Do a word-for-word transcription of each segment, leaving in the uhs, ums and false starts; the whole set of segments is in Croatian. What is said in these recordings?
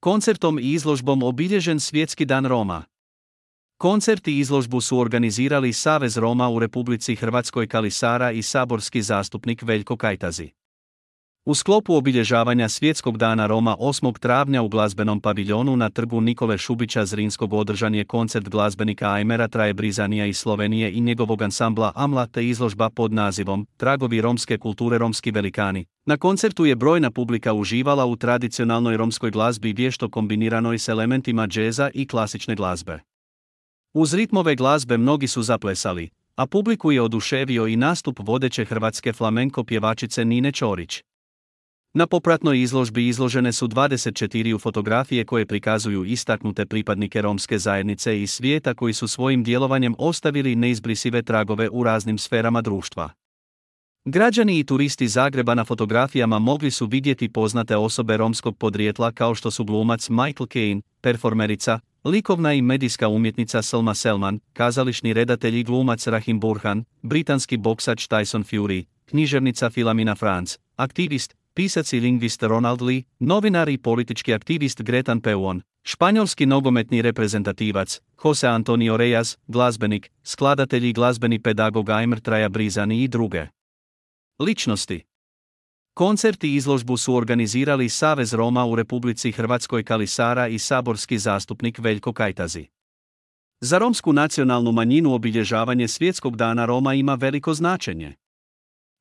Koncertom i izložbom obilježen Svjetski dan Roma. Koncert i izložbu su organizirali Savez Roma u Republici Hrvatskoj Kali Sara i saborski zastupnik Veljko Kajtazi. U sklopu obilježavanja Svjetskog dana Roma osmog travnja u glazbenom paviljonu na trgu Nikole Šubića Zrinskog održan je koncert glazbenika Ajmera Traje Brizanija iz Slovenije i njegovog ansambla Amla te izložba pod nazivom Tragovi romske kulture romski velikani. Na koncertu je brojna publika uživala u tradicionalnoj romskoj glazbi vješto kombiniranoj s elementima džeza i klasične glazbe. Uz ritmove glazbe mnogi su zaplesali, a publiku je oduševio i nastup vodeće hrvatske flamenko pjevačice Nine Ćorić. Na popratnoj izložbi izložene su dvadeset četiri fotografije koje prikazuju istaknute pripadnike romske zajednice iz svijeta koji su svojim djelovanjem ostavili neizbrisive tragove u raznim sferama društva. Građani i turisti Zagreba na fotografijama mogli su vidjeti poznate osobe romskog podrijetla kao što su glumac Michael Caine, performerica, likovna i medijska umjetnica Selma Selman, kazališni redatelj i glumac Rahim Burhan, britanski boksač Tyson Fury, književnica Filamina Franz, aktivist, pisac i lingvist Ronald Lee, novinar i politički aktivist Gretan Peuon, španjolski nogometni reprezentativac Jose Antonio Reyes, glazbenik, skladatelj i glazbeni pedagog Ajmer Traja Brizani i druge ličnosti. Koncert i izložbu su organizirali Savez Roma u Republici Hrvatskoj Kali Sara i saborski zastupnik Veljko Kajtazi. Za romsku nacionalnu manjinu obilježavanje Svjetskog dana Roma ima veliko značenje.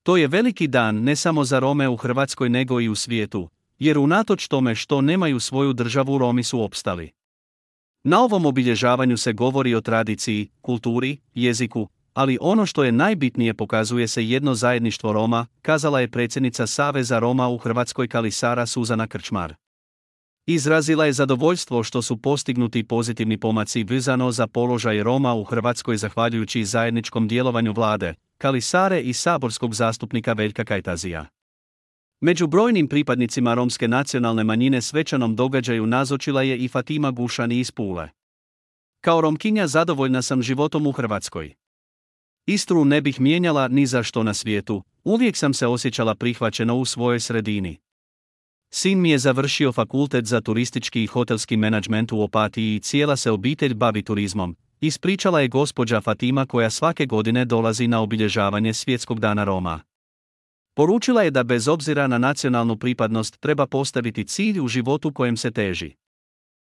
To je veliki dan ne samo za Rome u Hrvatskoj nego i u svijetu, jer unatoč tome što nemaju svoju državu Romi su opstali. Na ovom obilježavanju se govori o tradiciji, kulturi, jeziku, ali ono što je najbitnije pokazuje se jedno zajedništvo Roma, kazala je predsjednica Saveza Roma u Hrvatskoj Kali Sara Suzana Krčmar. Izrazila je zadovoljstvo što su postignuti pozitivni pomaci vezano za položaj Roma u Hrvatskoj zahvaljujući zajedničkom djelovanju vlade, Kali Sare i saborskog zastupnika Veljka Kajtazija. Među brojnim pripadnicima romske nacionalne manjine svečanom događaju nazočila je i Fatima Gušani iz Pule. Kao Romkinja zadovoljna sam životom u Hrvatskoj. Istru ne bih mijenjala ni za što na svijetu, uvijek sam se osjećala prihvaćeno u svojoj sredini. Sin mi je završio fakultet za turistički i hotelski menadžment u Opatiji i cijela se obitelj bavi turizmom, ispričala je gospođa Fatima koja svake godine dolazi na obilježavanje Svjetskog dana Roma. Poručila je da bez obzira na nacionalnu pripadnost treba postaviti cilj u životu kojem se teži.